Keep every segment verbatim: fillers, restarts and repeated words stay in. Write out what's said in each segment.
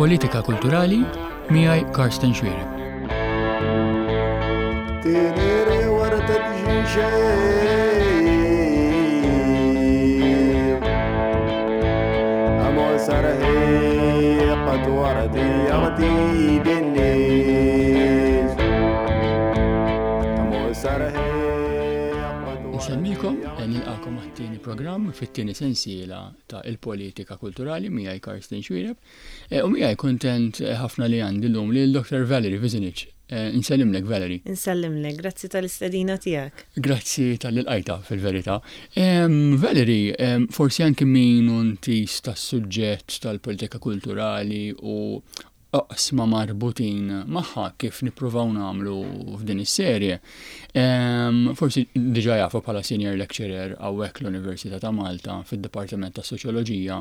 Il-politika kulturali miegħi Karsten Xuereb. تيريري وردة جيجي أمو سرهي قد وردي يغدي بالنيز أمو سرهي قد Nselmilkom, nilqagħkom għat-tieni programm fit-tieni sensiela ta' il-politika kulturali miegħi Karsten Xuereb. Eh, U miegħi kontent ħafna li għandi llum lil Dr. Valerie Vizinich. Eh, Nsellimlek Valerie. Insellimlek, grazzi tal-istedina tiegħek. Grazzi talli lqajtha fil-verità. Em, Valerie, em, forsi anki min hu intiż tas-suġġett tal-politika kulturali u oqsma marbutin magħha kif nippruvaw nagħmlu f'din is-serje. Em, Forsi diġà jafu bħala senior lecturer hawnhekk l-Università ta' Malta fid-Dipartiment ta' Soċjoloġija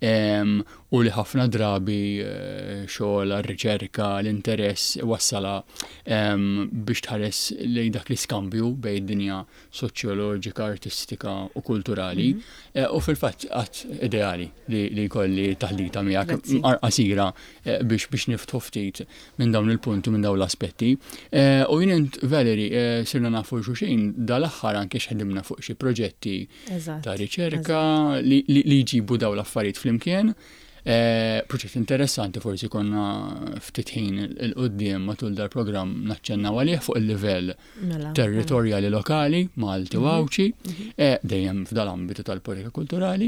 em, u li ħafna drabi eh, xogħol riċerka l-interess wassala em, biex tħares lejn dak l-iskambju bejn dinja soċjoloġika, artistika u kulturali. Eh, U fil-fatt għat ideali li, li jkolli taħdita miegħek Grazzi. qasira eh, biex biex niftħu ftit minn dawn il-punti minn dawn l-aspetti. Eh, U jien int Valerie eh, sirna nafu xulxin dal-aħħar anke x'ħdimna fuq xi proġetti Eżatt. ta' riċerka li, li, li jġibu dawn l-affarijiet flimkien. Eh, proġett interessanti forsi konna ftit ħin 'il quddiem matul dal-programm naċċennaw għalih fuq il-livell Mela. territorjali lokali, Malti u Għawdxi, eh, dejjem f'dal-ambitu tal-politika kulturali.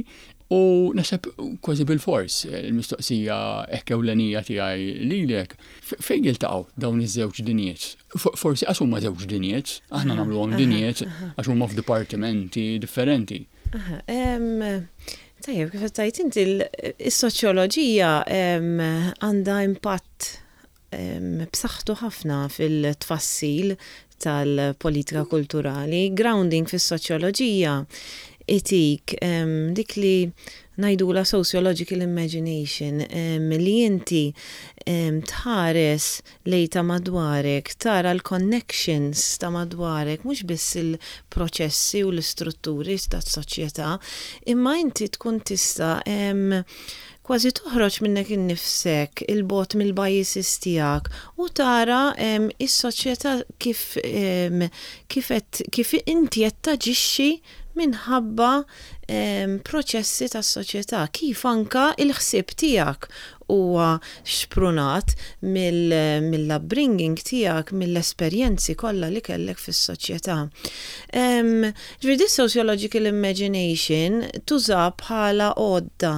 U naħseb kważi bil-fors eh, il-mistoqsija hekk ewlenija tiegħi lilek, f- fejn jiltaqgħu dawn iż-żewġ dinjiet? F- Forsi għax huma żewġ dinjiet, aħna nagħmluhom dinjiet għax huma f'dipartimenti differenti. Aha, em, Tajjeb, kif tajt inti l- is-soċjoloġija em, għandha impatt em, b'saħħtu ħafna fil-tfassil tal-politika kulturali. Grounding fis-soċjoloġija itik em, dik li ngħidulha sociological imagination, em, li inti em, tħares lejn ta' madwarek, tara l-connections ta' madwarek, mhux biss il-proċessi u l-istrutturi ta' soċjetà, imma inti tkun tista' em, kważi toħroġ minnek innifsek 'il bogħod mill-biases tiegħek u tara em, is-soċjetà kif em, kif qed- kif inti qed taġixxi minħabba em, proċessi tas-soċjetà, kif anka il-ħsieb tiegħek huwa xprunat mill- mill-upbringing tiegħek, mill-esperjenzi kollha li kellek fis-soċjetà. Em, Ġifieri this sociological imagination tuża bħala għodda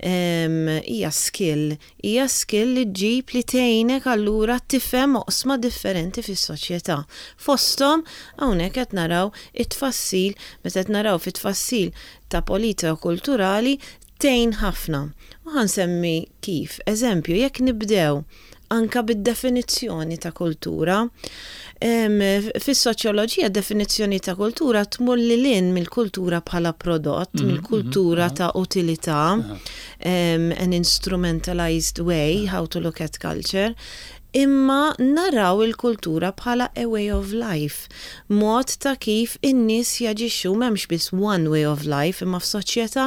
em, hija skill, hija skill li ġġib li tgħinek allura tifhem oqsma differenti fis-soċjetà. Fosthom hawnhekk qed naraw it-tfassil, meta qed naraw fit-tfassil ta' politika kulturali tgħin ħafna. U ħa nsemmi kif, eżempju, jekk nibdew anka bid-definizzjoni ta' kultura. Em, Fis-soċjoloġija definizzjoni ta' kultura tmur lil hinn mill-kultura bħala prodott, Mhm, mill-kultura mhm, ta' utilità, um, an instrumentalized way how to look at culture, imma naraw il-kultura bħala a way of life, mod ta' kif in-nies jaġixxu m'hemmx biss one way of life, imma f'soċjetà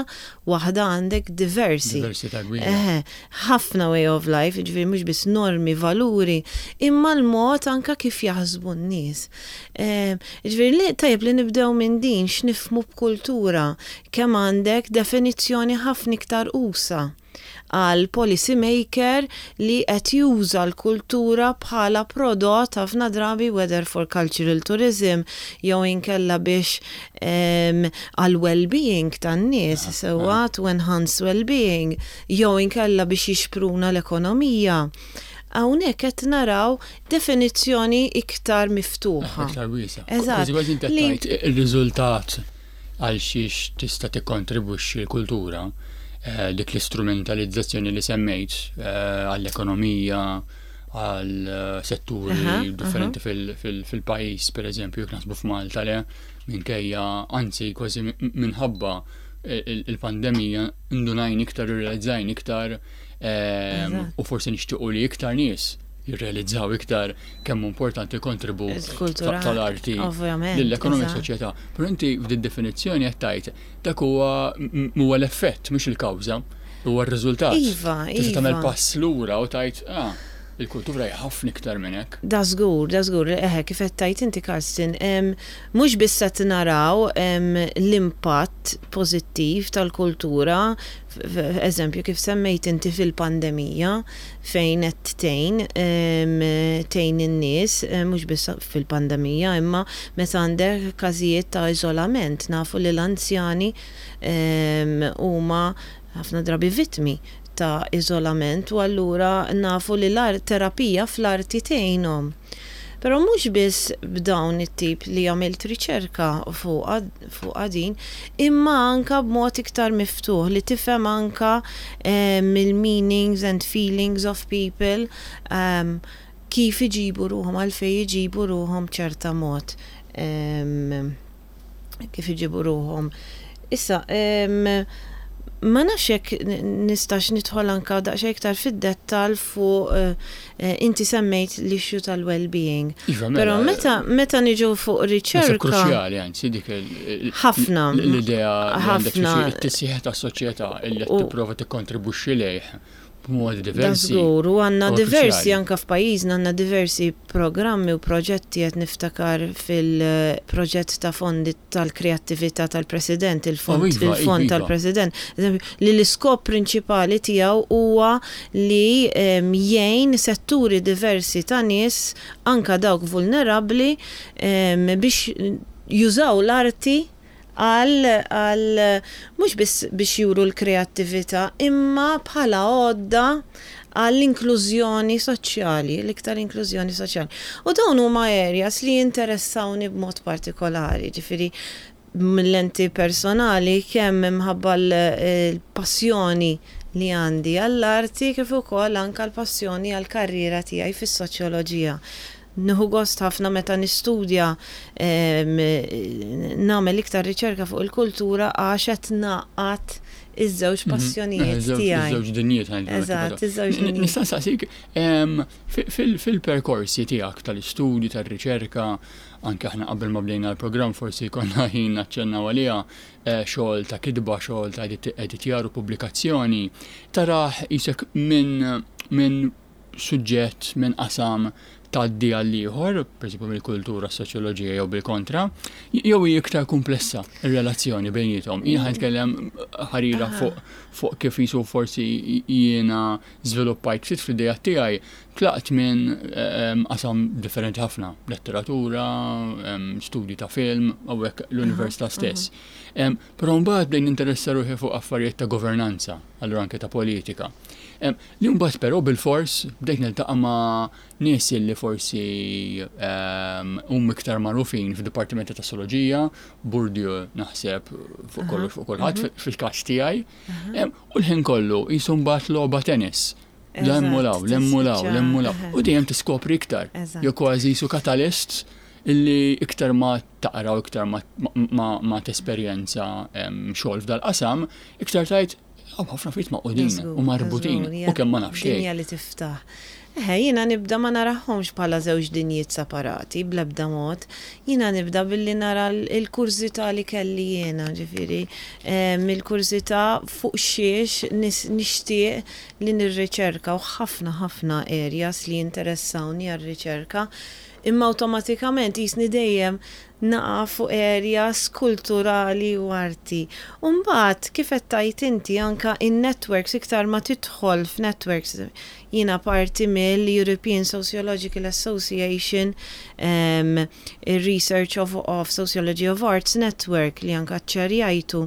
waħda għandek diversi. Diversità kbira. Eħe, ħafna way of life, ġifieri mhux biss normi, valuri, imma l-mod anka kif jaħsbu n-nies. Eh, Ġifieri li tajjeb li nibdew minn din x'nifhmu b'kultura, kemm għandek definizzjoni ħafna iktar usa' għal policy maker li qed juża l-kultura bħala prodott ħafna drabi whether for cultural tourism jew inkella biex em, għal well-being tan-nies sewwa to enhance well-being jew inkella biex jixpruna l-ekonomija. Hawnhekk qed naraw definizzjoni iktar miftuħa. Iktar wiesa'. Eżatt. Kważi kważi inti Li- tgħid ir-riżultat għal xiex tista' tikkontribwixxi l-kultura, eh, dik l-istrumentalizzazzjoni li semmejt eh, għall-ekonomija, għal eh, setturi Aha, differenti fil- fil- fil-pajjiż, per eżempju, jekk naħsbu f'Malta le, minkejja, anzi kważi min- minħabba il- il-pandemija ndunajna iktar, irrealizzajna iktar ehm, Eżatt. u forsi nixtiequ li iktar nies jirrealizzaw iktar kemm hu importanti kontribut Il-kultura, tal-arti ovvjament, lill-ekonomija eżatt. soċjetà. Però inti f'din definizzjoni qed tgħid dak huwa m- huwa l-effett mhux il-kawża. Huwa r-riżultat. Iva, Tista' tagħmel iva. pass lura u tgħid, ah, il-kultura hija ħafna iktar minn hekk. Da żgur, da żgur, eħe, kif qed tgħid inti, Karsten, em, mhux biss qed naraw em, l-impatt pożittiv tal-kultura, f- f- eżempju kif semmejt inti fil-pandemija fejn qed tgħin em, tgħin in-nies, em, mhux biss fil-pandemija, imma meta għandek każijiet ta' iżolament, nafu li l-anzjani em, huma ħafna drabi vittmi ta' iżolament u allura nafu li l-terapija fl-arti tgħinhom. Però mhux biss b'dawn it-tip li għamilt riċerka fuq fuq din, imma anka b'mod iktar miftuħ li tifhem anka eh, mill-meanings and feelings of people um, kif iġibu ruħhom, għalfejn iġibu ruħhom ċerta mod. Um, kif iġibu ruħhom. Issa, um, ma nafx jekk nistax nidħol anka daqsxejn iktar fid-dettal fuq eh, eh, inti semmejt l-issue tal-well-being. Iva, mela, Però meta meta niġu fuq Naħseb riċerka kruċjali, anzi, dik il- Ħafna. l-idea li għandek Ħafna. xi t-tisħiħ tas-soċjetà illi qed U- tipprova tikkontribwixxi lejh b'modi Da diversi. żgur, u għandna Huwa diversi kruċjali. anka f'pajjiżna, għandna diversi programmi u proġetti. Qed niftakar fil-proġett ta' fondi tal-kreattività tal-President, il-fond Oh, iva, il-fond iva, iva. tal-President. Eżempju, li l-iskop prinċipali tiegħu huwa li em, jgħin setturi diversi ta' nies, anka dawk vulnerabbli, em, biex jużaw l-arti għal għal mhux biss biex juru l-kreattività, imma bħala għodda għall-inklużjoni soċjali, l-iktar inklużjoni soċjali. U dawn huma areas li jinteressawni b'mod partikolari, ġifieri mill-lenti personali, kemm imħabba l-passjoni li għandi għall-arti kif ukoll anka l-passjoni għall-karriera tiegħi fis-soċjoloġija. Nieħu gost ħafna meta nistudja, em, nagħmel iktar riċerka fuq il-kultura għax qed ngħaqqad iż-żewġ passjonijiet Mhm. Iż-żewġ- tiegħi. Iż-żewġ dinjiet ħa ngħidu. Eżatt, iż-żewġ dinjiet. Nista' nsaqsik, em, fi- fil- fil-perkorsi tiegħek tal-istudju, tar-riċerka, anke aħna qabel ma bdejna l-programm forsi konna ħin naċċennaw għaliha, eh, xogħol ta' kitba, xogħol ta' edit- editjar u pubblikazzjoni, tarah qisek minn minn suġġett, minn qasam tgħaddi għal ieħor, per mill-kultura, soċjoloġija jew bil-kontra, jew hi iktar komplessa ir-relazzjoni bejniethom? Jien ħa nitkellem ħarira fuq fuq kif jisu forsi jiena żviluppajt ftit fl-idea tiegħi, tlaqt minn em, qasam differenti ħafna, letteratura, em, studji ta' film, hawnhekk l-università stess. Em, Però mbagħad bdejn ninteressa ruħi fuq affarijiet ta' governanza, allura anke ta' politika. Em, Li mbagħad però bil-fors bdejt niltaqa' ma' nies li forsi em, hum iktar magħrufin fid-dipartimenti ta' soċjoloġija, Bourdieu naħseb fuq kollox fuq kulħadd fil-każ tiegħi. Em, U l-ħin kollu jisu mbagħad logħba tennis. L-emmulaw, l-emmulaw, l-emmulaw. U dejjem tiskopri iktar. Eżatt. Jew kważi jisu katalist illi iktar ma taqra u iktar ma, ma, ma tesperjenza em, xogħol f'dal-qasam, iktar tgħid hawn ħafna affarijiet magħqudin u marbutin u kemm ma nafx xejn. Dinja li tiftaħ. Eħe, jiena nibda ma narahomx bħala żewġ dinjiet separati, bl-ebda mod. Jiena nibda billi nara l- il-kurżità li kelli jiena, ġifieri, em, il-kurżità fuq xiex nis- nixtieq li nirriċerka u ħafna ħafna areas li jinteressawni għar-riċerka. Imma awtomatikament jisni dejjem naqa' fuq areas kulturali u arti. Umbagħad, kif qed tgħid inti, anka in-networks, iktar ma tidħol f'networks, jiena parti mill-European Sociological Association, um, Research of, of Sociology of Arts Network li anka ċerjajtu.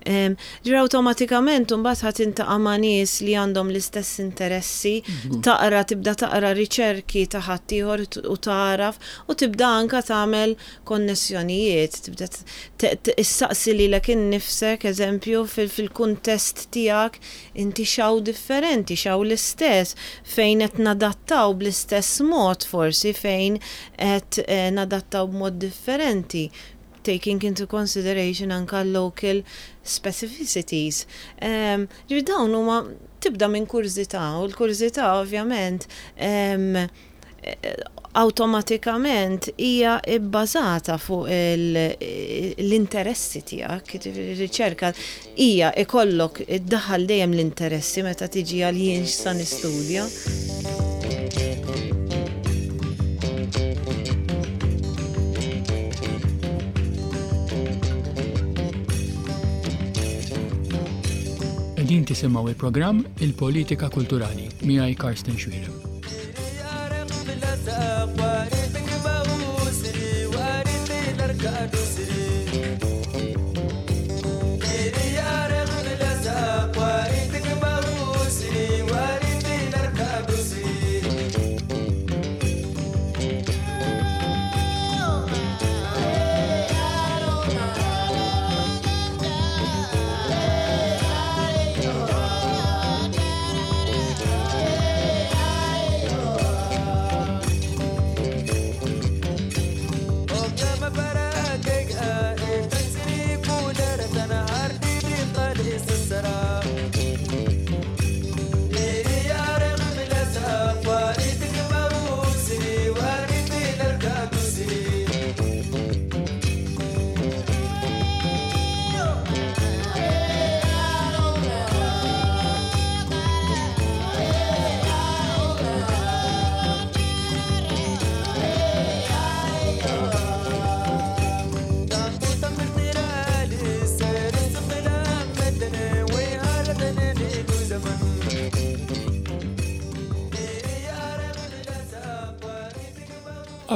Um, ġra awtomatikament mbagħad ħa tiltaqa' ma' nies li għandhom l-istess interessi, taqra tibda taqra riċerki ta' ħaddieħor u taraf u tibda anka tagħmel konnessjonijiet, tibda issaqsi lilek innifsek, eżempju, fil-kuntest tiegħek inti x'hawn differenti, x'hawn l-istess, fejn qed nadattaw bl-istess mod forsi, fejn qed eh, nadattaw b'mod differenti, taking into consideration anka local specificities. Um, ġifieri dawn huma tibda minn kurżità u l-kurżità ovvjament um, Awtomatikament hija bbażata fuq l-interessi tiegħek, riċerka hija ikollok iddaħħal dejjem l-interessi meta tiġi għal jien x'sa nistudja. Qegħdin tisimgħu il-programm Il-Politika Kulturali miegħi Karsten Xuereb.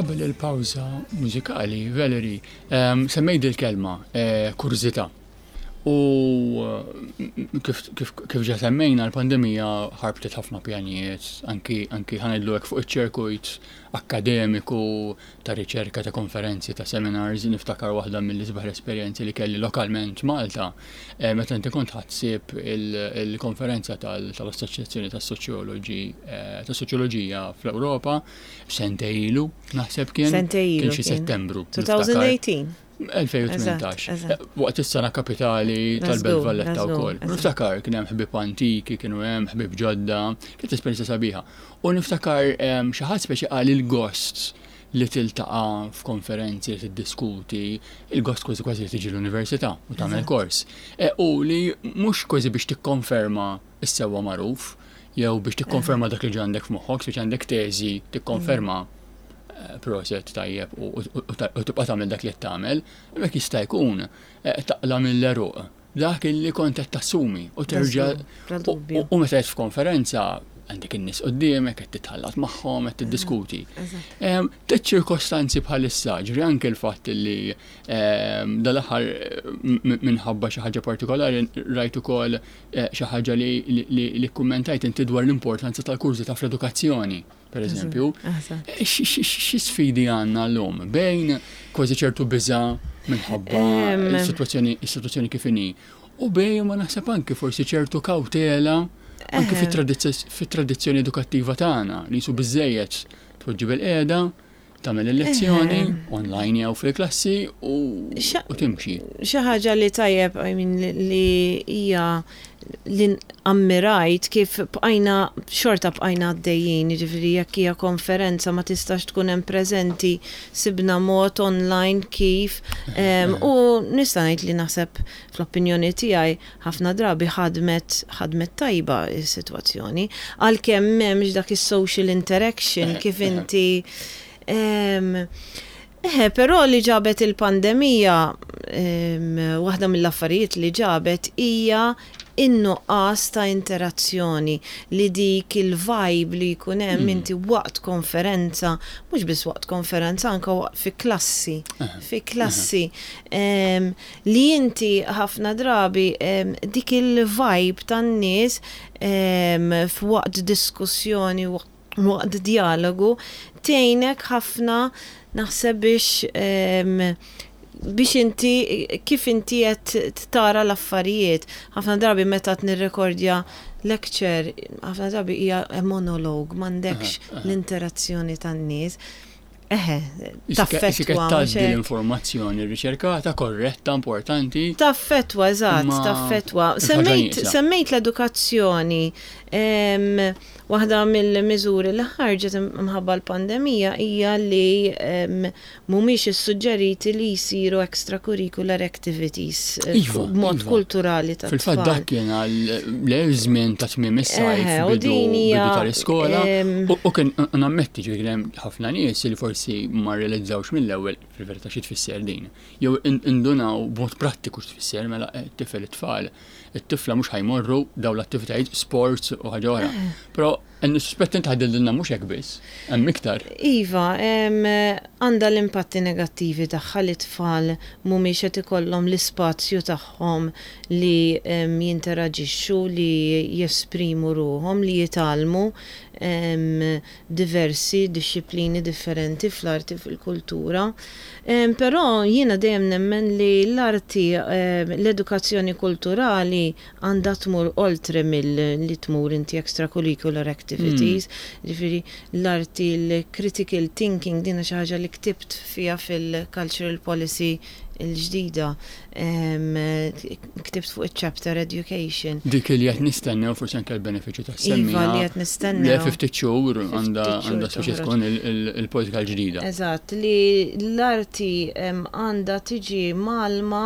Qabel il-pawża mużikali, Valerie, um, semmejt il-kelma eh, kurżità. U kif, kif, kif ġa semmejna l-pandemija ħarbtet ħafna pjanijiet, anki, anki ħa ngħidlu hekk fuq iċ-ċirkuit akkademiku, ta' riċerka, ta' konferenzi, ta' seminars, niftakar waħda mill-isbaħ esperjenzi li kelli lokalment Malta, eh, meta inti kont ħa ssib il-konferenza tal-Assoċjazzjoni tas-Soċjoloġi eh, tas-Soċjoloġija fl-Ewropa, sentejn ilu, naħseb kien. Sentejn ilu Kien xi Settembru. elfejn u tmintax. elfejn u tmintax. Waqt is-sena kapitali tal-Belt Valletta wkoll. Niftakar kien hemm ħbieb antiki, kienu hemm ħbieb ġodda, kienet esperjenza sabiħa. U niftakar xi ħadd speċi qal il-gost li tiltaqa' f'konferenzi, li tiddiskuti, il-gost kważi kważi li tiġi l-università u tagħmel kors. E, u li mhux kważi biex tikkonferma is-sewwa magħruf, jew biex tikkonferma dak li għandek f'moħħok, biex għandek teżi tikkonferma proset tajjeb u tibqa' tagħmel dak li tagħmel, hemmhekk jista' jkun taqla' mill-għeruq dak li kont qed tassumi u terġa' u meta qed f'konferenza għandek in-nies quddiemek qed titħallat magħhom qed tiddiskuti. Tliet ċirkostanzi bħalissa, ġifieri anke l-fatt li dal-aħħar minħabba xi ħaġa partikolari rajt ukoll xi ħaġa li kkummentajt inti dwar l-importanza tal-kurżità fl-edukazzjoni, per eżempju. Xi sfidi għandna llum bejn kważi ċertu biża' minħabba is-sitwazzjoni kif inhi u bejn ma naħseb anke forsi ċertu kawtela anke fit-tradizzjoni edukattiva tagħna li jisu biżejjed tpoġġi bil-qiegħda, tagħmel il-lezzjoni online jew fil-klassi u timxi. Xi ħaġa li tajjeb, I mean, li hija li ammirajt kif bqajna xorta bqajna għaddejjin, jiġifieri jekk hija konferenza ma tistax tkun hemm preżenti, sibna mod online kif u nista' ngħid li naħseb fl-opinjoni tiegħi ħafna drabi ħadmet ħadmet tajba s-sitwazzjoni, għalkemm m'hemmx dak is-social interaction kif inti. Eħe, però li ġabet il-pandemija, waħda mill-affarijiet li ġabet hija in-nuqqas ta' interazzjoni, li dik il-vibe li jkun hemm inti waqt konferenza, mhux biss waqt konferenza, anke waqt fi klassi, fi klassi, li inti ħafna drabi dik il-vibe tan-nies f'waqt diskussjoni, waqt dialogu, tgħinek ħafna naħseb biex biex inti kif inti qed tara l-affarijiet. Ħafna drabi meta nirrekordja lecture, ħafna drabi hija monolog, m'għandekx l-interazzjoni tan-nies. Eħe, taffettwa. Tgħaddi l-informazzjoni riċerkata, korretta, importanti. Taffettwa, eżatt, taffettwa. Semmejt, semmejt l-edukazzjoni. Waħda mill-miżuri li ħarġet mħabba l-pandemija hija li mhumiex issuġġeriti li jsiru extracurricular activities eh, iva, b'mod iva. kulturali ta' Fil-fatt dak kien għal żmien ta' tmiem is-sajf, bidu tal-iskola. U kien nammetti, ġifieri hemm ħafna nies li forsi ma realizzawx mill-ewwel fil-verità xi tfisser din. Jew indunaw b'mod prattiku x'tfisser, mela eh, tifel, it-tfal, it-tifla mhux ħa jmorru daw l-attivitajiet, sports u ħaġa oħra. Eh. Però nissuspett inti ħadilna mhux hekk biss, hemm iktar. Iva, għandha l-impatti negattivi tagħha li tfal mhumiex qed ikollhom l-ispazju tagħhom li jinteraġixxu, li jesprimu ruhom, li jitgħallmu diversi disċiplini differenti fl-arti, fil-kultura. Però jiena dejjem nemmen li l-arti, l-edukazzjoni kulturali għandha tmur oltre mill-li tmur inti extracurricular activities. Mm. Ġifieri l-arti, l-critical thinking, dina xi ħaġa li ktibt fija fil-cultural policy il-ġdida. Ktibt fuq il-chapter education. Dik li qed nistennew forsi anke l-benefiċċju ta' semmi. Iva, li qed nistennew. Le ftit xhur għandha għandha speċi tkun il-politika l-ġdida. Eżatt, li l-arti għandha tiġi mgħallma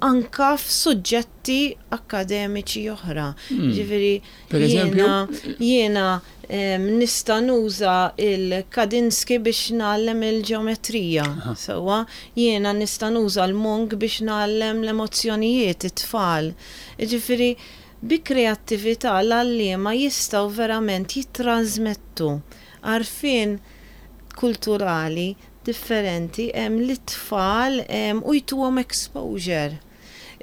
anka f'suġġetti akademiċi oħra. Hmm. Ġifieri jiena jiena nista' nuża il-Kandinsky biex ngħallem il-ġeometrija. Sewwa, jiena nista' nuża l-Munch biex ngħallem l-emozzjonijiet it-tfal. Ġifieri bi kreattività l-għalliema jistgħu verament jittransmettu għarfien kulturali differenti lit-tfal u jtuhom exposure.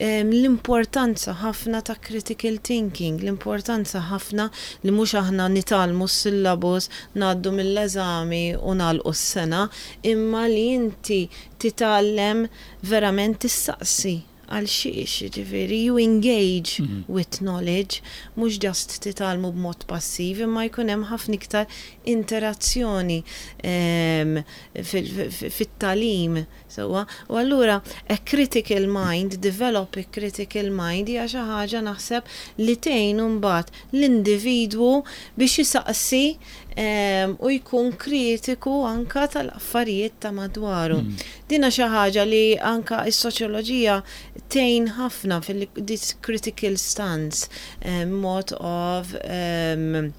L-importanza ħafna ta' critical thinking, l-importanza ħafna li mhux aħna nitgħallmu s-syllabus, ngħaddu mill-eżami u nagħlqu s-sena, imma li inti titgħallem verament tissaqsi għal xiex, ġifieri, you engage mm -hmm. with knowledge, mhux just titgħallmu b'mod passiv, imma jkun hemm ħafna iktar interazzjoni um, fit-tagħlim. Sewwa, u allura a critical mind, develop a critical mind hija xi ħaġa naħseb li tgħin mbagħad l-individwu biex jisaqsi um, u jkun kritiku anka tal-affarijiet ta' madwaru. Mm. Dina xi ħaġa li anka is-soċjoloġija tgħin ħafna fil-this critical stance, um, mod of um,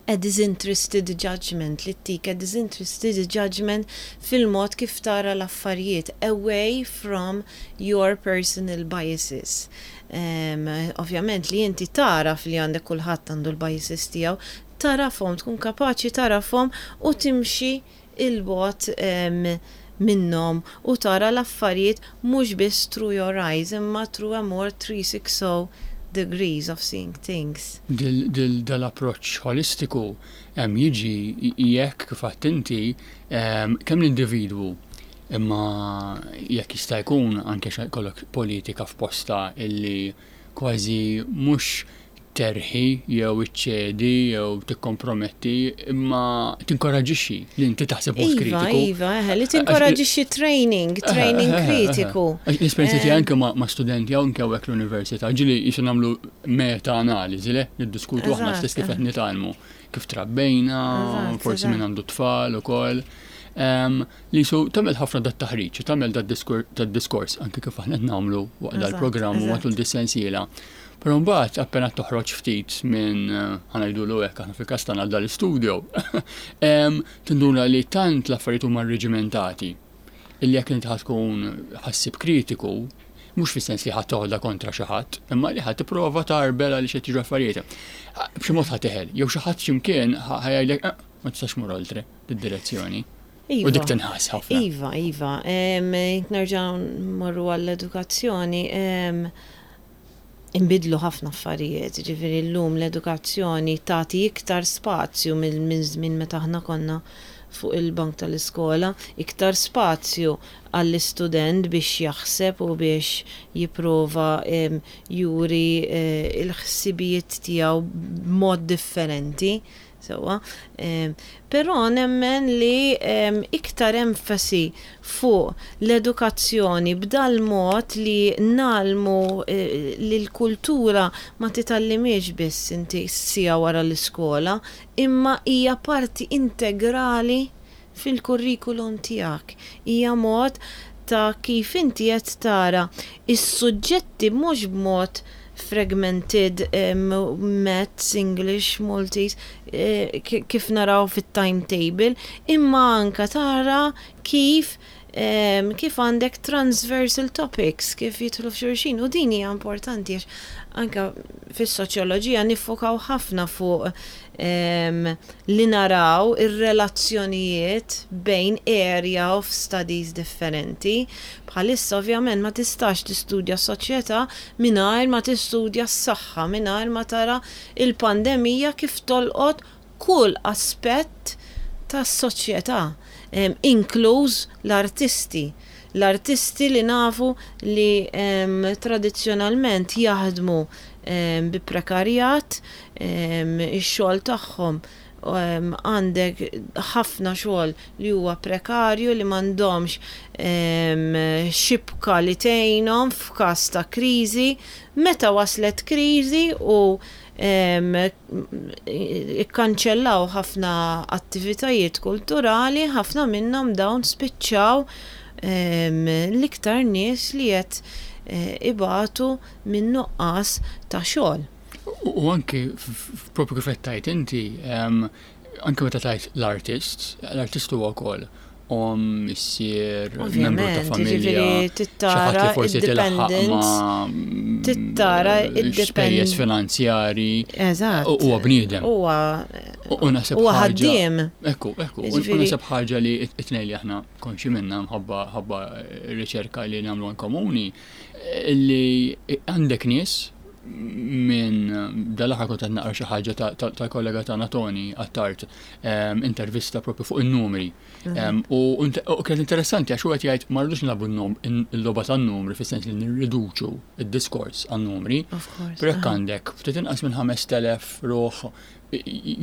a disinterested judgment, li ttik a disinterested judgment fil-mod kif tara l-affarijiet, away from your personal biases. Um, ovvjament li inti tara li għandek, kulħadd għandu l-biases tiegħu, tarafhom, tkun kapaċi tarafhom u timxi 'il bogħod um, minnhom u tara l-affarijiet mhux biss through your eyes imma through a more three sixty degrees of seeing things. Dal-approċ holistiku hemm jiġi jekk kif inti kemm l-individwu, imma jekk jista' jkun anke kollok politika f'posta illi kważi mhux terħi jew iċċedi jew tikkomprometti, imma tinkoraġixxi li inti taħseb mod Iva, kritiku. Iva, eħe, li tinkoraġixxi training, training kritiku. L-esperienza tiegħi anke ma' studenti jew anke hawnhekk l-università, ġieli jisu nagħmlu meta-analiżi, le niddiskutu aħna Eżatt, stess kif qed nitgħallmu, kif trabbejna, Eżatt, forsi min eżatt. għandu tfal ukoll. Em, li su tagħmel ħafna dat taħriġ, tagħmel dat diskors anke kif aħna qed nagħmlu waqt Eżatt, dal-programm u eżatt. matul dis-sensiela. Però mbagħad appena toħroġ ftit minn eh, ħa ngħidulu hekk aħna fil-każ tagħna dal-istudio, em, tinduna li tant l-affarijiet huma reġimentati illi jekk inti ħa tkun ħassib kritiku, mhux fis-sens li ħadd toħodha kontra xi ħadd, imma li ħadd tipprova tarbel għaliex qed jiġu affarijiet. B'xi mod ħa teħel, jew xi ħadd x'imkien ħa jgħidlek, "Eh, ma tistax mur oltre d-direzzjoni." U dik Iva. tinħass ħafna. Iva, iva. Em, Nerġa' morru għall-edukazzjoni. em, Imbidlu ħafna affarijiet, ġifieri llum l-edukazzjoni tagħti iktar spazju mill minn żmien meta aħna konna fuq il-bank tal-iskola, iktar spazju għall-istudent biex jaħseb u biex jipprova em, juri eh, il-ħsibijiet tiegħu b'mod differenti. Sewwa. Però nemmen li iktar enfasi fuq l-edukazzjoni b'dal mod li ngħallmu eh, li l-kultura ma titgħallimhiex biss inti siegħa wara l-iskola, imma hija parti integrali fil-kurrikulum tiegħek. Hija mod ta' kif inti qed tara is-suġġetti mhux b'mod fragmented um, maths, English, Maltese, eh, kif naraw fit-timetable, imma anka tara kif um, kif għandek transversal topics, kif jidħlu f'xulxin, u din hija importanti għax anka fis-soċjoloġija niffokaw ħafna fuq um, li naraw ir-relazzjonijiet bejn area of studies differenti. Bħalissa ovvjament ma tistax tistudja soċjetà mingħajr ma tistudja s-saħħa, mingħajr ma tara il-pandemija kif tolqot kull aspett tas-soċjetà, um, inkluż l-artisti. L-artisti li nafu li um, tradizzjonalment jaħdmu um, bi prekarjat, um, ix-xogħol tagħhom um, għandek ħafna xogħol li huwa prekarju, li m'għandhomx um, xibka li tgħinhom f'każ ta' kriżi. Meta waslet kriżi u um, ikkanċellaw ħafna attivitajiet kulturali, ħafna minnhom dawn spiċċaw um, l-iktar nies li qed eh, ibatu minn nuqqas ta' xogħol. U u anki f- propju kif qed tgħid inti, em, anki meta tgħid l-artist, l-artist huwa wkoll om, missier, membru ta' Ovvjament, familja, jiġifieri xi ħadd tittara li forsi tilħaq id-dependence, ma' tittara spejjeż id-depend- finanzjari. Eżatt. U huwa bniedem. Huwa U u naħseb huwa ħaġa- ħaddiem. Ekku, ekku, u u Jiġifieri- naħseb ħaġa li it-tnejn li aħna konxi minna mħabba ħabba riċerka li nagħmlu għan komuni, li għandek nies minn dal-aħħar kont qed naqra xi ħaġa ta- ta- tal-kollega tagħna Tony Attard, em, intervista propju fuq in-numri. Em, U u kienet interessanti għax huwa qed jgħid ma rridux nilagħbu n-num- il-logħba tan-numri fis-sens li nirriduċu id-diskors għan-numri. Of course. Però jekk għandek ftit inqas minn ħamest elef ruħ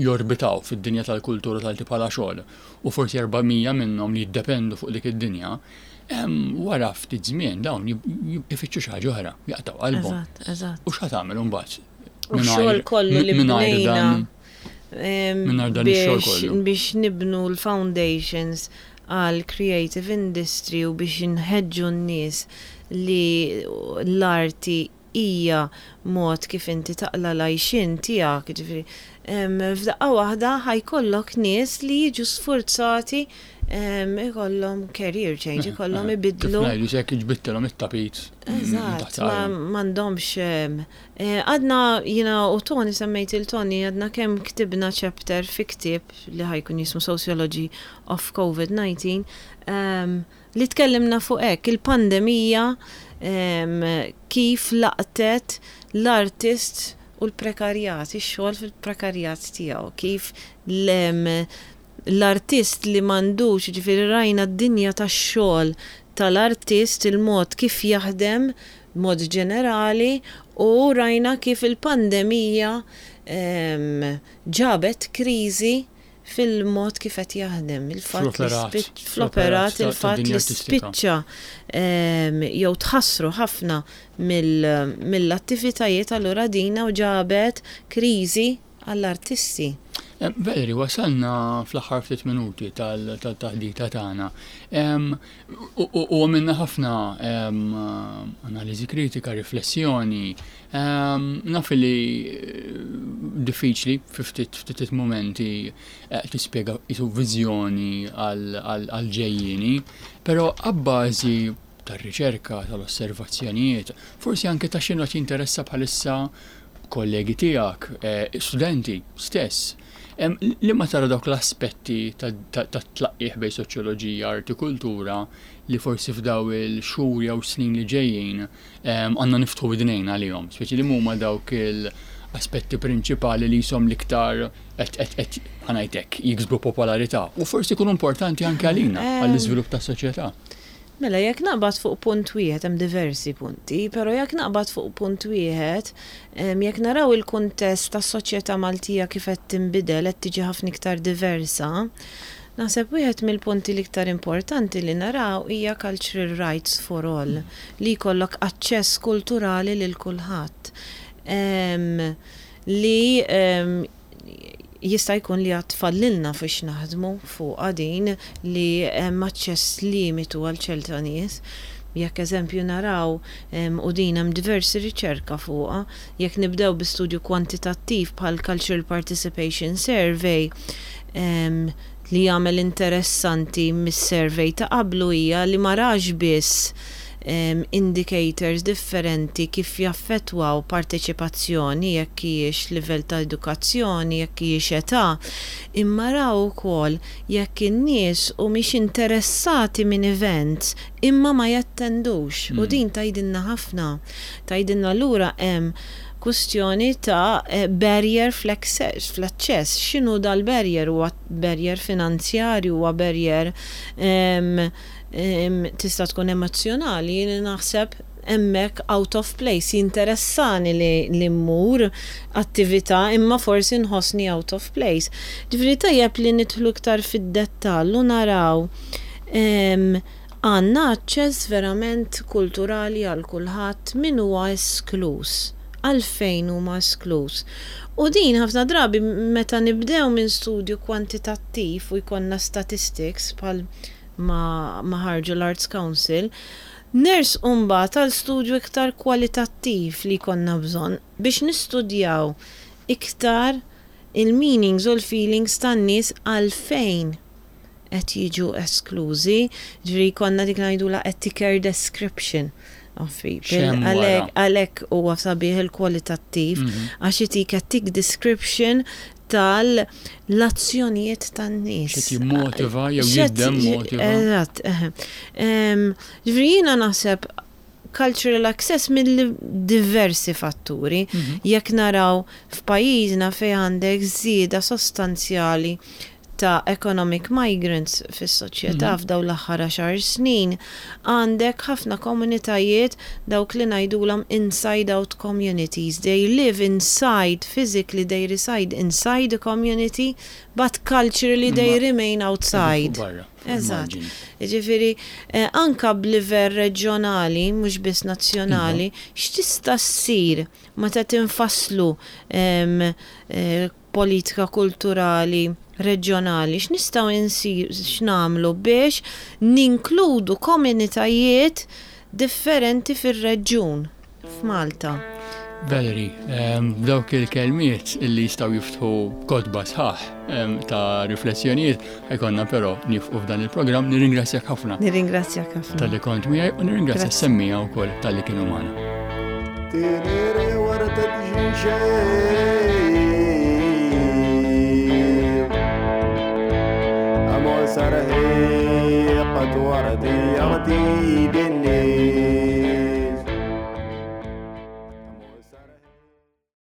jorbitaw fid-dinja tal-kultura tal bħala xogħol u forsi erba' mija minnhom li jiddependu fuq dik id-dinja, em, wara ftit żmien dawn jib- jib- ifittxu xi ħaġa oħra, jaqtaw qalbhom. Eżatt, eżatt. U x'ħa tagħmel imbagħad? U x-xogħol kollu li mingħajr bnejna dan em, mingħajr dan ix-xogħol biex kollu. biex nibnu l-foundations għal creative industry u biex nħeġġu n-nies li l-arti hija mod kif inti taqla l-għajxien tiegħek, ġifieri, em, f'daqqa waħda ħa jkollok nies li jiġu sforzati em, ikollhom career change, ikollhom Kif ibidlu. ngħidu se ġbittilhom it-tapit minn Eżatt, taħt ma saqajhom. m'għandhomx em, eh, għadna jiena u Tony, semmejt il-Tony, għadna kemm ktibna chapter fi ktieb li ħa jkun jismu Sociology of COVID nineteen, em, li tkellimna fuq hekk il-pandemija em, kif laqtet l-artist u l-prekarjat, ix-xogħol fil-prekarjat tiegħu, kif l- l-artist li m'għandux, ġifieri rajna d-dinja tax-xogħol tal-artist, il-mod kif jaħdem mod ġenerali, u rajna kif il-pandemija em, ġabet kriżi fil-mod kif qed jaħdem. Il-fatt li Fl-operat. spiċ- fl-operat, ta' il-fatt dinja li artistika. spiċċa em, jew tħassru ħafna mill- mill-attivitajiet, allura dina u ġabet kriżi għall-artisti. Em, Valerie, wasalna fl-aħħar ftit minuti tal- tal-taħdita tagħna. Em, U u għamilna ħafna em, analiżi kritika, riflessjoni. Em, Naf li eh, diffiċli fi ftit ftit momenti eh, tispjega jisu viżjoni għal-ġejjini, però abbażi tar-riċerka, tal-osservazzjonijiet, forsi anke ta' x'inhu qed jinteressa bħalissa kollegi tiegħek, eh, studenti stess. Em, Li ma tara dawk l-aspetti ta' ta- ta' tlaqqih bejn soċjoloġija, arti, kultura li forsi f'daw il-xhur jew snin li ġejjin em, għandna niftħu widnejn għalihom, speċi li huma dawk il-aspetti prinċipali li jisom l-iktar qed qed qed ħa ngħidlek jiksbu popolarità u forsi jkunu importanti anke għalina Em, għall-iżvilupp tas-soċjetà. Mela, jekk naqbad fuq punt wieħed, hemm diversi punti, però jekk naqbad fuq punt wieħed, jekk naraw il-kuntest tas-soċjetà Maltija kif qed tinbidel, qed tiġi ħafna iktar diversa, naħseb wieħed mill-punti l-iktar importanti li naraw hija cultural rights for all, li jkollok aċċess kulturali lil kulħadd. Li jista' jkun li għad fadlilna fiex naħdmu fuq din li hemm aċċess limitu għal ċerta nies. Jekk eżempju naraw, u din hemm diversi riċerka fuqha, jekk nibdew bi studju kwantitattiv bħal Cultural Participation Survey, li jagħmel interessanti mis-survey ta' qablu hija li ma rax biss indicators differenti kif jaffettwaw parteċipazzjoni, jekk hijiex livell ta' edukazzjoni, jekk hijiex età, imma raw ukoll jekk in-nies humiex interessati minn events imma ma jattendux. U din tgħidilna ħafna. Tgħidilna lura hemm kwestjoni ta' barrier fl-aċċess. X'inhu dal-barrier? Huwa barrier finanzjarju, huwa barrier tista' tkun emozjonali, jien naħseb hemmhekk out of place, jinteressani li, li mmur attività imma forsi nħossni out of place. Ġifieri tajjeb li nidħlu iktar fid-dettall u naraw għandna aċċess verament kulturali għal kulħadd, min huwa esklus, għalfejn huma esklus. U din ħafna drabi meta nibdew minn studju kwantitattiv u jkollna statistics bħal ma, ma ħarġu l-Arts Council, nersqu mbagħad għal studju iktar kwalitattiv li konna bżonn biex nistudjaw iktar il-meanings u l-feelings tan-nies għalfejn qed jiġu esklużi, ġifieri konna dik ngħidula a thicker description of people. Għalhekk huwa sabiħ il-kwalitattiv, għax itik a thick description tal-azzjonijiet tan-nies. X'qed jimmotiva jew jiddemmotiva. Eżatt, Ġifieri jiena naħseb cultural access mill diversi fatturi. Jekk naraw f'pajjiżna fejn għandek żieda sostanzjali ta' economic migrants fis-soċjetà f'daw l-aħħar għaxar snin, għandek ħafna komunitajiet dawk li ngħidulhom inside out communities. They live inside, physically they reside inside the community, but culturally they remain outside. Eżatt. Ġifieri, anka b'livell reġjonali, mhux biss nazzjonali, x'tista' ssir meta tinfasslu politika kulturali reġjonali, x'nistgħu insir x'nagħmlu biex ninkludu komunitajiet differenti fir-reġjun f'Malta. Valerie, dawk il-kelmiet illi jistgħu jiftħu kotba sħaħ ta' riflessjonijiet, ħa jkollna però nieqfu f'dan il-programm. Nirringrazzjak ħafna. Nirringrazzjak ħafna. Talli kont miegħi u nirringrazzja s-semmiegħa wkoll talli kienu magħna. Tiniri warta tġinxej أمو سرهي قد وردي يغدي.